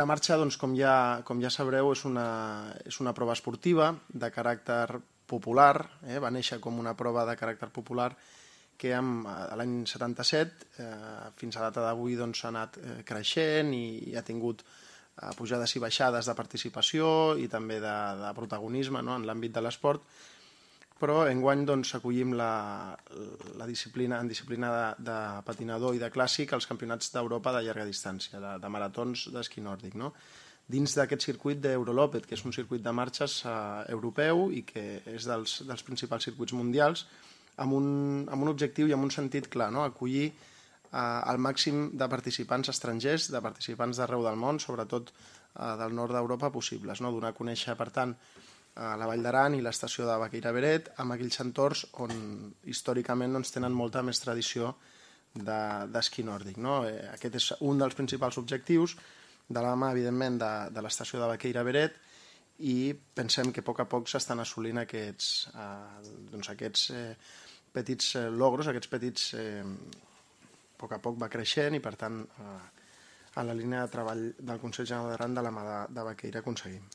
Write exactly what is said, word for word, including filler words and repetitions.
La marxa, doncs, com ja, com ja sabreu, és una, és una prova esportiva de caràcter popular, eh? Va néixer com una prova de caràcter popular que amb, l'any setanta-set eh, fins a data d'avui doncs, ha anat eh, creixent i, i ha tingut eh, pujades i baixades de participació i també de, de protagonisme, no?, en l'àmbit de l'esport, però enguany doncs, acollim la, la disciplina, en disciplina de, de patinador i de clàssic els campionats d'Europa de llarga distància, de, de maratons d'esquí nòrdic, no? Dins d'aquest circuit d'Eurolopet, que és un circuit de marxes eh, europeu i que és dels, dels principals circuits mundials, amb un, amb un objectiu i amb un sentit clar, no? Acollir eh, el màxim de participants estrangers, de participants d'arreu del món, sobretot eh, del nord d'Europa possibles, no? Donar a conèixer, per tant, a la Vall d'Aran i l'estació de Baqueira Beret, amb aquells entorns on històricament doncs, tenen molta més tradició d'esquí nòrdic, no? Eh, aquest és un dels principals objectius, de la mà, evidentment, de, de l'estació de Baqueira Beret, i pensem que a poc a poc s'estan assolint aquests, eh, doncs aquests eh, petits eh, logros, aquests petits... Eh, a poc a poc va creixent i, per tant, eh, en la línia de treball del Consell General d'Aran de la mà de, de Baqueira aconseguim.